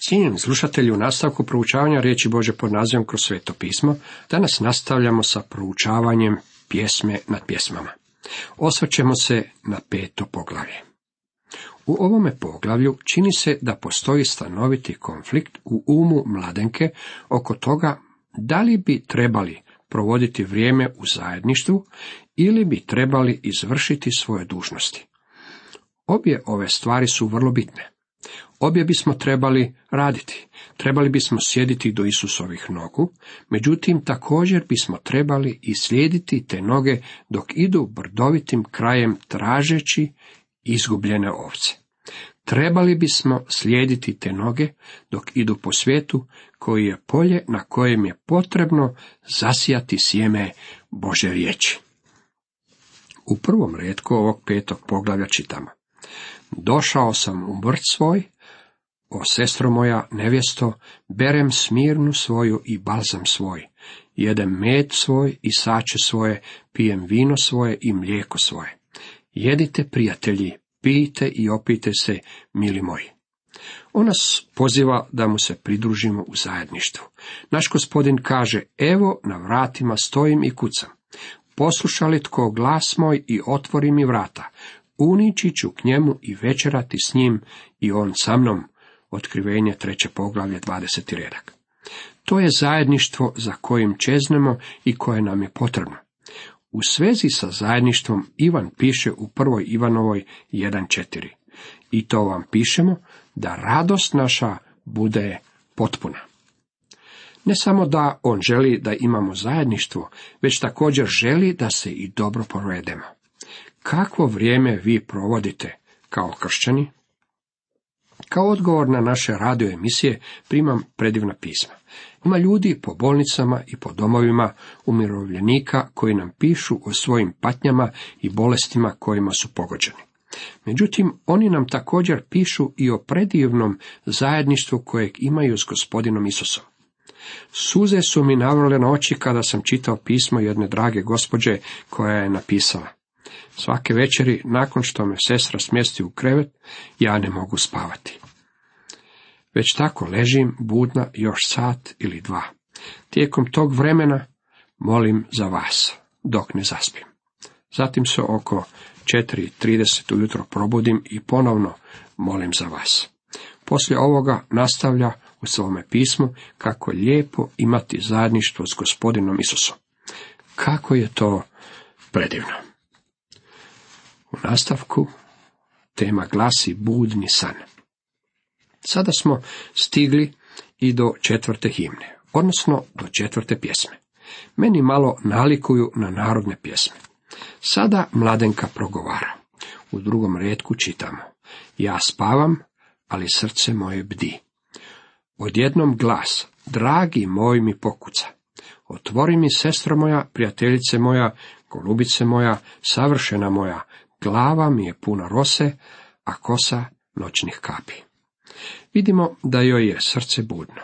Cijenjeni slušatelji, u nastavku proučavanja riječi Božje pod nazivom Kroz sveto pismo, danas nastavljamo sa proučavanjem pjesme nad pjesmama. Osvrćemo se na 5. poglavlje. U ovome poglavlju čini se da postoji stanoviti konflikt u umu mladenke oko toga da li bi trebali provoditi vrijeme u zajedništvu ili bi trebali izvršiti svoje dužnosti. Obje ove stvari su vrlo bitne. Obje bismo trebali raditi, trebali bismo sjediti do Isusovih nogu, međutim također bismo trebali i slijediti te noge dok idu brdovitim krajem tražeći izgubljene ovce. Trebali bismo slijediti te noge dok idu po svijetu koji je polje na kojem je potrebno zasijati sjeme Božje riječi. U prvom retku ovog 5. poglavlja čitamo: Došao sam u vrt svoj, o sestro moja nevjesto, berem smirnu svoju i balzam svoj, jedem med svoj i sače svoje, pijem vino svoje i mlijeko svoje. Jedite, prijatelji, pijte i opijte se, mili moji. On nas poziva da mu se pridružimo u zajedništvu. Naš Gospodin kaže: evo, na vratima stojim i kucam. Posluša li tko glas moj i otvori mi vrata, unići ću k njemu i večerati s njim i on sa mnom. Otkrivenje 3. poglavlje 20. redak. To je zajedništvo za kojim čeznemo i koje nam je potrebno. U svezi sa zajedništvom Ivan piše u 1. Ivanovoj 1.4. I to vam pišemo da radost naša bude potpuna. Ne samo da on želi da imamo zajedništvo, već također želi da se i dobro provedemo. Kakvo vrijeme vi provodite kao kršćani? Kao odgovor na naše radio emisije primam predivna pisma. Ima ljudi po bolnicama i po domovima umirovljenika koji nam pišu o svojim patnjama i bolestima kojima su pogođeni. Međutim, oni nam također pišu i o predivnom zajedništvu kojeg imaju s Gospodinom Isusom. Suze su mi navrle na oči kada sam čitao pismo jedne drage gospođe koja je napisala: svake večeri, nakon što me sestra smjesti u krevet, ja ne mogu spavati. Već tako ležim budna još sat ili dva. Tijekom tog vremena molim za vas, dok ne zaspim. Zatim se oko 4:30 ujutro probudim i ponovno molim za vas. Poslije ovoga nastavlja u svome pismu kako je lijepo imati zajedništvo s Gospodinom Isusom. Kako je to predivno! U nastavku tema glasi budni san. Sada smo stigli i do 4. himne, odnosno do 4. pjesme. Meni malo nalikuju na narodne pjesme. Sada mladenka progovara. U 2. retku čitamo: ja spavam, ali srce moje bdi. Odjednom glas: dragi moj mi pokuca. Otvori mi, sestro moja, prijateljice moja, golubice moja, savršena moja. Glava mi je puna rose, a kosa noćnih kapi. Vidimo da joj je srce budno.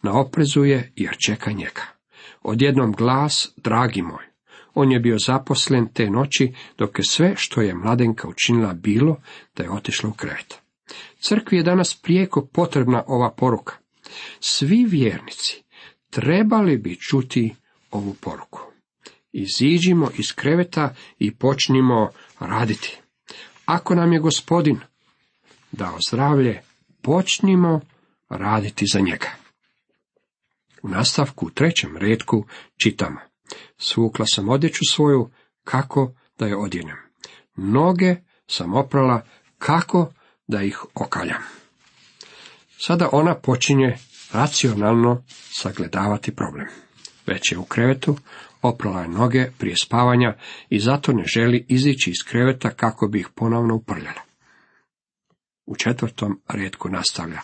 Na oprezu je jer čeka njega. Odjednom glas: dragi moj. On je bio zaposlen te noći dok je sve što je mladenka učinila bilo da je otišla u krevet. Crkvi je danas prijeko potrebna ova poruka. Svi vjernici trebali bi čuti ovu poruku. Iziđimo iz kreveta i počnimo raditi. Ako nam je Gospodin dao zdravlje, počnimo raditi za njega. U nastavku u 3. retku čitamo: svukla sam odjeću svoju, kako da je odjenem. Noge sam oprala, kako da ih okaljam. Sada ona počinje racionalno sagledavati problem. Već je u krevetu, oprala je noge prije spavanja i zato ne želi izići iz kreveta kako bi ih ponovno uprljala. U 4. retku nastavlja: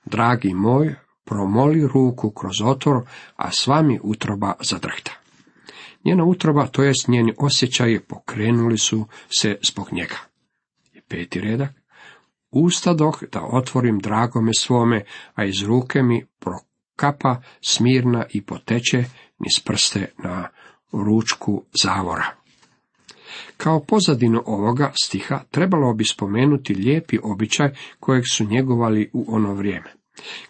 dragi moj, promoli ruku kroz otvor, a s vami utroba zadrhta. Njena utroba, to jest njeni osjećaji, pokrenuli su se zbog njega. I 5. redak: ustadoh da otvorim dragome svome, a iz ruke mi prokapa smirna i poteče niz prste na ručku zavora. Kao pozadinu ovoga stiha trebalo bi spomenuti lijepi običaj kojeg su njegovali u ono vrijeme.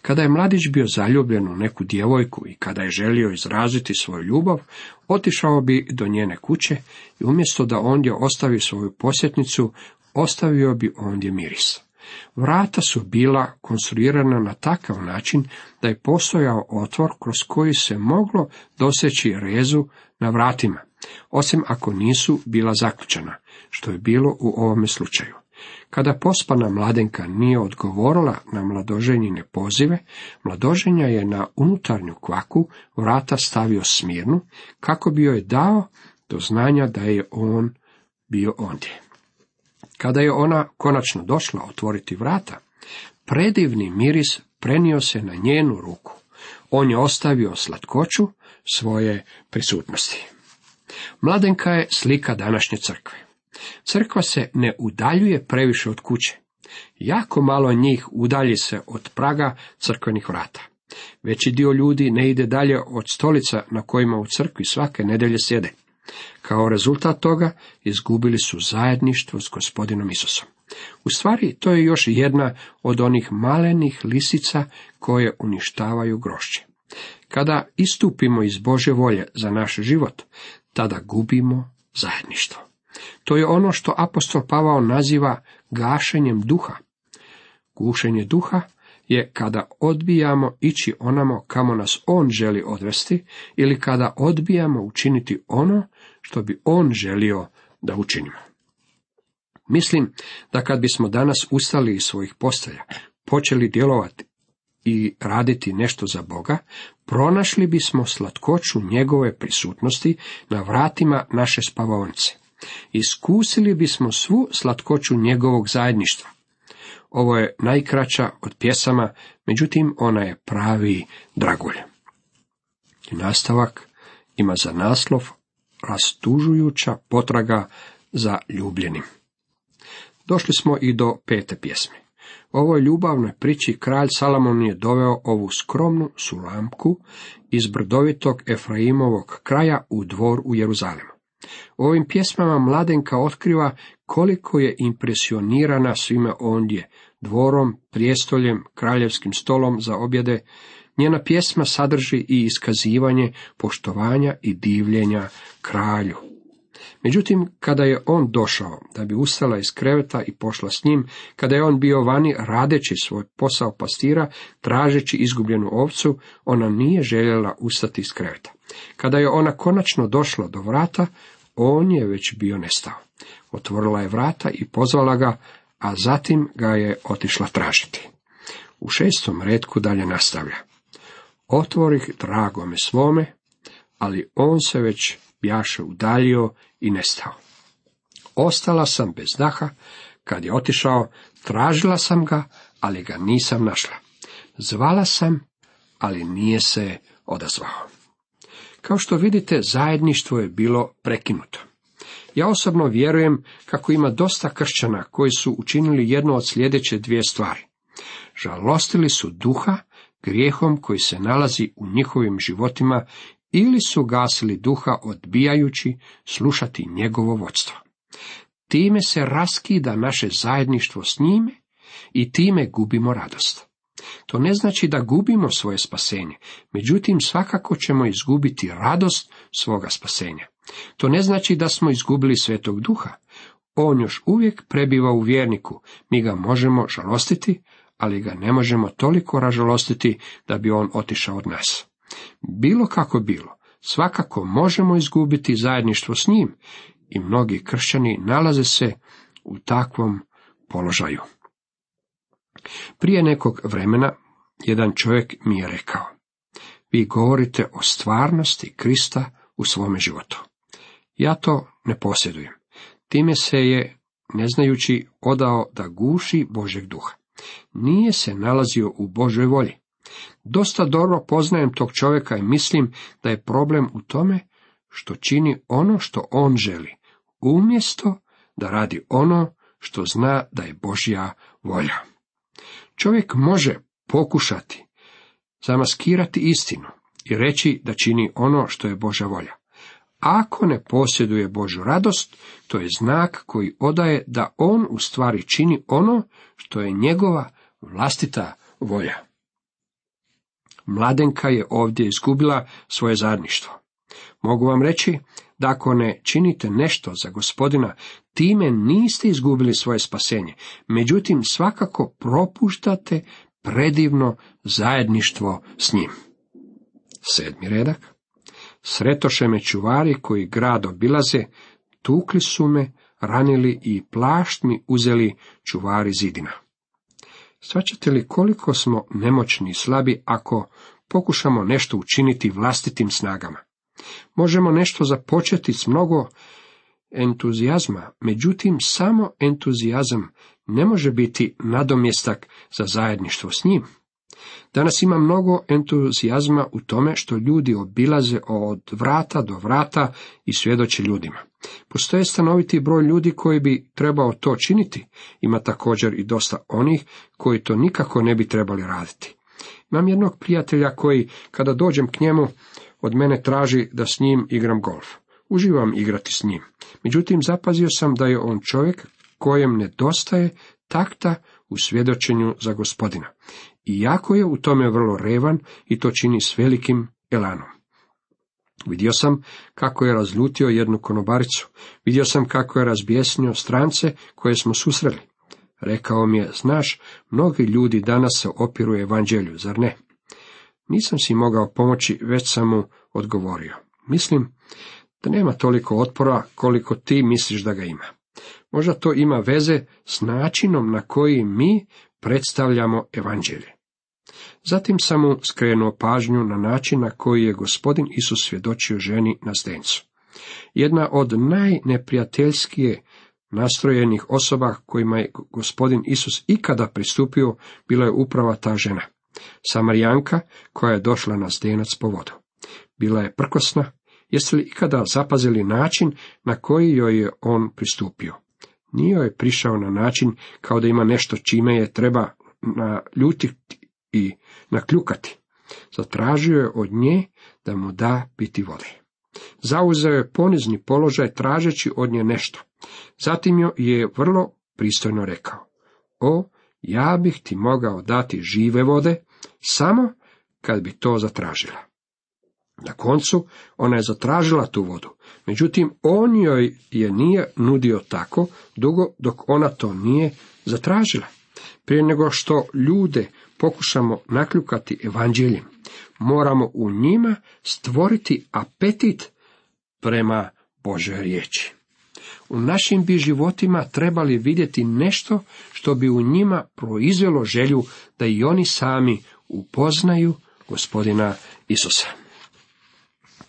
Kada je mladić bio zaljubljen u neku djevojku i kada je želio izraziti svoju ljubav, otišao bi do njene kuće i umjesto da ondje ostavi svoju posjetnicu, ostavio bi ondje miris. Vrata su bila konstruirana na takav način da je postojao otvor kroz koji se moglo doseći rezu na vratima, osim ako nisu bila zaključana, što je bilo u ovome slučaju. Kada pospana mladenka nije odgovorila na mladoženjine pozive, mladoženja je na unutarnju kvaku vrata stavio smirnu, kako bi joj dao do znanja da je on bio ondje. Kada je ona konačno došla otvoriti vrata, predivni miris prenio se na njenu ruku. On je ostavio slatkoću svoje prisutnosti. Mladenka je slika današnje crkve. Crkva se ne udaljuje previše od kuće. Jako malo njih udalji se od praga crkvenih vrata. Veći dio ljudi ne ide dalje od stolica na kojima u crkvi svake nedjelje sjede. Kao rezultat toga izgubili su zajedništvo s Gospodinom Isusom. U stvari, to je još jedna od onih malenih lisica koje uništavaju grožđe. Kada istupimo iz Božje volje za naš život, tada gubimo zajedništvo. To je ono što apostol Pavao naziva gašenjem duha. Gušenje duha je kada odbijamo ići onamo kamo nas on želi odvesti ili kada odbijamo učiniti ono što bi on želio da učinimo. Mislim da kad bismo danas ustali iz svojih postelja, počeli djelovati i raditi nešto za Boga, pronašli bismo slatkoću njegove prisutnosti na vratima naše spavaonice. Iskusili bismo svu slatkoću njegovog zajedništva. Ovo je najkraća od pjesama, međutim ona je pravi dragulj. I nastavak ima za naslov rastužujuća potraga za ljubljenim. Došli smo i do 5. pjesme. U ovoj ljubavnoj priči kralj Salomon je doveo ovu skromnu Sulamku iz brdovitog Efraimovog kraja u dvor u Jeruzalemu. U ovim pjesmama mladenka otkriva koliko je impresionirana svime ondje, dvorom, prijestoljem, kraljevskim stolom za objede. Njena pjesma sadrži i iskazivanje poštovanja i divljenja kralju. Međutim, kada je on došao da bi ustala iz kreveta i pošla s njim, kada je on bio vani radeći svoj posao pastira, tražeći izgubljenu ovcu, ona nije željela ustati iz kreveta. Kada je ona konačno došla do vrata, on je već bio nestao. Otvorila je vrata i pozvala ga, a zatim ga je otišla tražiti. U 6. retku dalje nastavlja. Otvorih dragome svome, ali on se već bjaše udaljio i nestao. Ostala sam bez daha, kad je otišao, tražila sam ga, ali ga nisam našla. Zvala sam, ali nije se odazvao. Kao što vidite, zajedništvo je bilo prekinuto. Ja osobno vjerujem kako ima dosta kršćana koji su učinili jednu od sljedeće 2 stvari. Žalostili su duha grijehom koji se nalazi u njihovim životima ili su gasili duha odbijajući slušati njegovo vodstvo. Time se raskida naše zajedništvo s njime i time gubimo radost. To ne znači da gubimo svoje spasenje, međutim svakako ćemo izgubiti radost svoga spasenja. To ne znači da smo izgubili Svetog Duha. On još uvijek prebiva u vjerniku, mi ga možemo žalostiti, ali ga ne možemo toliko ražalostiti da bi on otišao od nas. Bilo kako bilo, svakako možemo izgubiti zajedništvo s njim i mnogi kršćani nalaze se u takvom položaju. Prije nekog vremena jedan čovjek mi je rekao: vi govorite o stvarnosti Krista u svome životu. Ja to ne posjedujem. Time se je, ne znajući, odao da guši Božjeg duha. Nije se nalazio u Božoj volji. Dosta dobro poznajem tog čovjeka i mislim da je problem u tome što čini ono što on želi, umjesto da radi ono što zna da je Božja volja. Čovjek može pokušati zamaskirati istinu i reći da čini ono što je Božja volja. Ako ne posjeduje Božju radost, to je znak koji odaje da on u stvari čini ono što je njegova vlastita volja. Mladenka je ovdje izgubila svoje zajedništvo. Mogu vam reći da ako ne činite nešto za Gospodina, time niste izgubili svoje spasenje, međutim svakako propuštate predivno zajedništvo s njim. 7. redak. Sretoše me čuvari koji grad obilaze, tukli su me, ranili i plašt mi uzeli čuvari zidina. Shvaćate li koliko smo nemoćni i slabi ako pokušamo nešto učiniti vlastitim snagama? Možemo nešto započeti s mnogo entuzijazma, međutim samo entuzijazam ne može biti nadomjestak za zajedništvo s njim. Danas ima mnogo entuzijazma u tome što ljudi obilaze od vrata do vrata i svjedoče ljudima. Postoje stanoviti broj ljudi koji bi trebao to činiti. Ima također i dosta onih koji to nikako ne bi trebali raditi. Imam jednog prijatelja koji, kada dođem k njemu, od mene traži da s njim igram golf. Uživam igrati s njim. Međutim, zapazio sam da je on čovjek kojem nedostaje takta u svjedočenju za Gospodina. Iako je u tome vrlo revan i to čini s velikim elanom. Vidio sam kako je razljutio jednu konobaricu. Vidio sam kako je razbjesnio strance koje smo susreli. Rekao mi je, znaš, mnogi ljudi danas se opiru evanđelju, zar ne? Nisam si mogao pomoći, već sam mu odgovorio. Mislim da nema toliko otpora koliko ti misliš da ga ima. Možda to ima veze s načinom na koji mi predstavljamo evanđelje. Zatim sam mu skrenuo pažnju na način na koji je Gospodin Isus svjedočio ženi na zdencu. Jedna od najneprijateljskije nastrojenih osoba kojima je Gospodin Isus ikada pristupio bila je upravo ta žena, Samarijanka koja je došla na zdenac po vodu. Bila je prkosna. Jeste li ikada zapazili način na koji joj je on pristupio? Nije joj prišao na način kao da ima nešto čime je treba naljutiti i nakljukati. Zatražio je od nje da mu da piti vode. Zauzeo je ponizni položaj tražeći od nje nešto. Zatim joj je vrlo pristojno rekao: o, ja bih ti mogao dati žive vode, samo kad bi to zatražila. Na koncu ona je zatražila tu vodu, međutim on joj je nije nudio tako dugo dok ona to nije zatražila. Prije nego što ljude pokušamo nakljukati evanđeljem, moramo u njima stvoriti apetit prema Božoj riječi. U našim bi životima trebali vidjeti nešto što bi u njima proizvelo želju da i oni sami upoznaju Gospodina Isusa.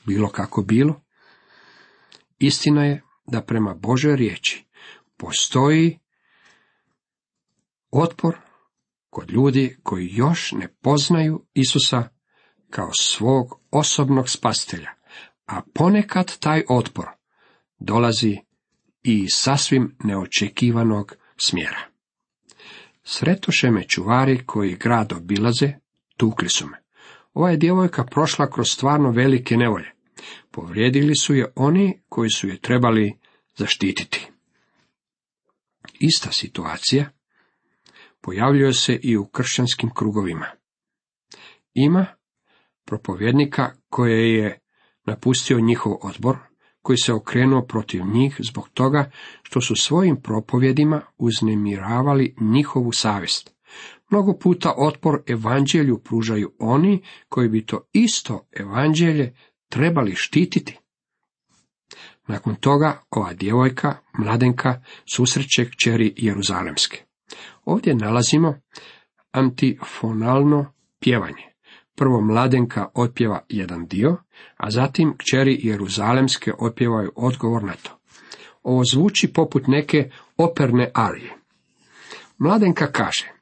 Bilo kako bilo, istina je da prema Božoj riječi postoji otpor kod ljudi koji još ne poznaju Isusa kao svog osobnog spasitelja, a ponekad taj otpor dolazi i iz sasvim neočekivanog smjera. Sretoše me čuvari koji grad obilaze, tukli su me. Ova je djevojka prošla kroz stvarno velike nevolje. Povrijedili su je oni koji su je trebali zaštititi. Ista situacija pojavljuje se i u kršćanskim krugovima. Ima propovjednika koje je napustio njihov odbor, koji se okrenuo protiv njih zbog toga što su svojim propovjedima uznemiravali njihovu savjest. Mnogo puta otpor evanđelju pružaju oni koji bi to isto evanđelje trebali štititi. Nakon toga ova djevojka, mladenka, susreće kćeri Jeruzalemske. Ovdje nalazimo antifonalno pjevanje. Prvo mladenka otpjeva jedan dio, a zatim kćeri Jeruzalemske otpjevaju odgovor na to. Ovo zvuči poput neke operne arije. Mladenka kaže: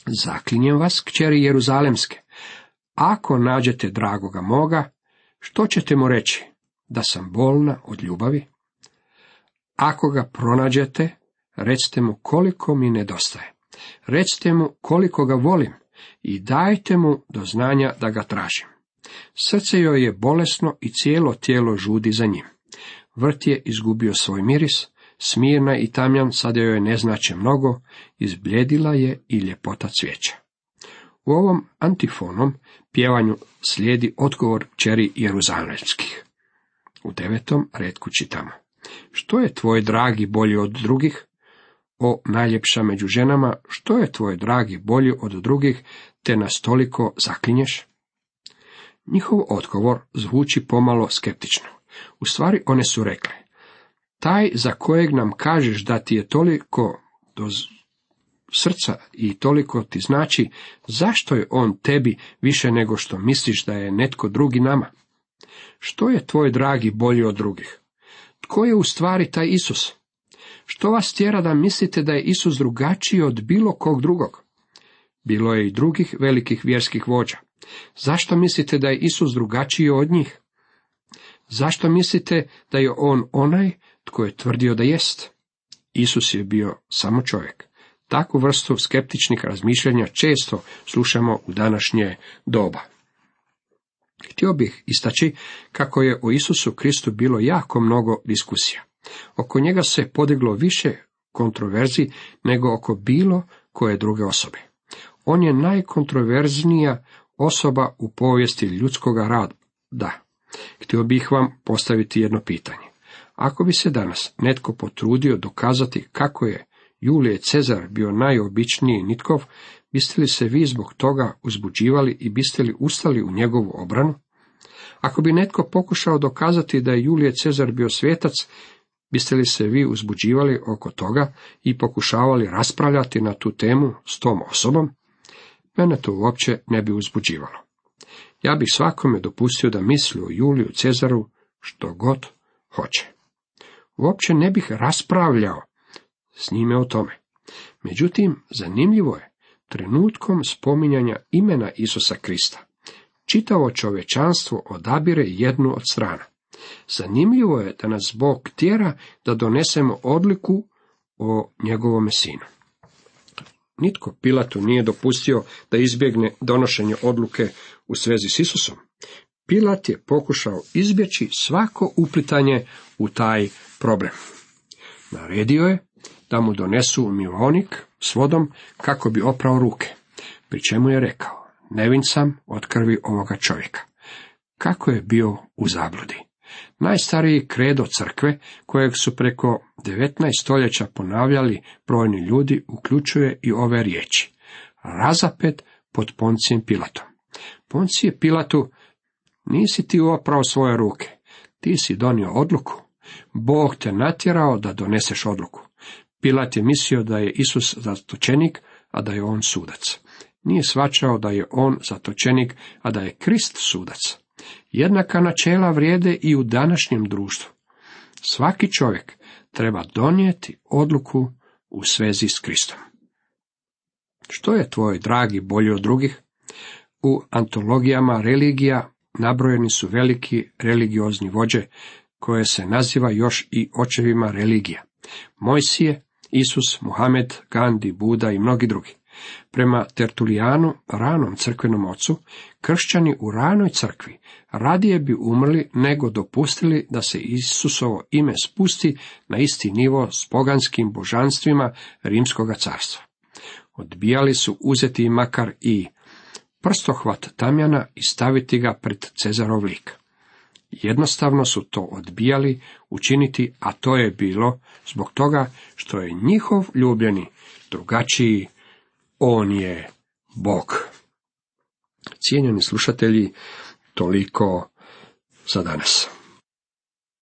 zaklinjem vas, kćeri Jeruzalemske, ako nađete dragoga moga, što ćete mu reći? Da sam bolna od ljubavi? Ako ga pronađete, recite mu koliko mi nedostaje. Recite mu koliko ga volim i dajte mu do znanja da ga tražim. Srce joj je bolesno i cijelo tijelo žudi za njim. Vrt je izgubio svoj miris, Smirna i Tamjan sada joj ne znače mnogo, izbljedila je i ljepota cvijeća. U ovom antifonom pjevanju slijedi odgovor kćeri Jeruzalemskih. U 9. retku čitamo: Što je tvoj dragi bolji od drugih? O najljepša među ženama, što je tvoj dragi bolji od drugih, te nas toliko zaklinješ? Njihov odgovor zvuči pomalo skeptično. U stvari one su rekle: taj za kojeg nam kažeš da ti je toliko do srca i toliko ti znači, zašto je on tebi više nego što misliš da je netko drugi nama? Što je tvoj dragi bolji od drugih? Tko je u stvari taj Isus? Što vas tjera da mislite da je Isus drugačiji od bilo kog drugog? Bilo je i drugih velikih vjerskih vođa. Zašto mislite da je Isus drugačiji od njih? Zašto mislite da je on onaj tko je tvrdio da jest? Isus je bio samo čovjek. Takvu vrstu skeptičnih razmišljanja često slušamo u današnje doba. Htio bih istaći kako je o Isusu Kristu bilo jako mnogo diskusija. Oko njega se podiglo više kontroverzi nego oko bilo koje druge osobe. On je najkontroverznija osoba u povijesti ljudskoga rada. Htio bih vam postaviti jedno pitanje. Ako bi se danas netko potrudio dokazati kako je Julije Cezar bio najobičniji nitkov, biste li se vi zbog toga uzbuđivali i biste li ustali u njegovu obranu? Ako bi netko pokušao dokazati da je Julije Cezar bio svetac, biste li se vi uzbuđivali oko toga i pokušavali raspravljati na tu temu s tom osobom? Mene to uopće ne bi uzbuđivalo. Ja bih svakome dopustio da misli o Juliju Cezaru što god hoće. Uopće ne bih raspravljao s njime o tome. Međutim, zanimljivo je, trenutkom spominjanja imena Isusa Krista, čitavo čovječanstvo odabire jednu od strana. Zanimljivo je da nas Bog tjera da donesemo odluku o njegovome sinu. Nitko Pilatu nije dopustio da izbjegne donošenje odluke u svezi s Isusom. Pilat je pokušao izbjeći svako uplitanje u taj problem. Naredio je da mu donesu umivaonik s vodom kako bi oprao ruke, pri čemu je rekao: nevin sam od krvi ovoga čovjeka. Kako je bio u zabludi. Najstariji kredo crkve, kojeg su preko 19 stoljeća ponavljali brojni ljudi, uključuje i ove riječi: razapet pod Poncijem Pilatom. Poncije Pilatu, nisi ti oprao svoje ruke, ti si donio odluku. Bog te natjerao da doneseš odluku. Pilat je mislio da je Isus zatočenik, a da je on sudac. Nije shvaćao da je on zatočenik, a da je Krist sudac. Jednaka načela vrijede i u današnjem društvu. Svaki čovjek treba donijeti odluku u svezi s Kristom. Što je tvoj dragi bolji od drugih? U antologijama religija nabrojeni su veliki religiozni vođe, koje se naziva još i očevima religija. Mojsije, Isus, Muhamed, Gandhi, Buda i mnogi drugi. Prema Tertulijanu, ranom crkvenom ocu, kršćani u ranoj crkvi radije bi umrli nego dopustili da se Isusovo ime spusti na isti nivo s poganskim božanstvima Rimskoga carstva. Odbijali su uzeti makar i prstohvat tamjana i staviti ga pred Cezarov lik. Jednostavno su to odbijali učiniti, a to je bilo zbog toga što je njihov ljubljeni drugačiji, on je Bog. Cijenjeni slušatelji, toliko za danas.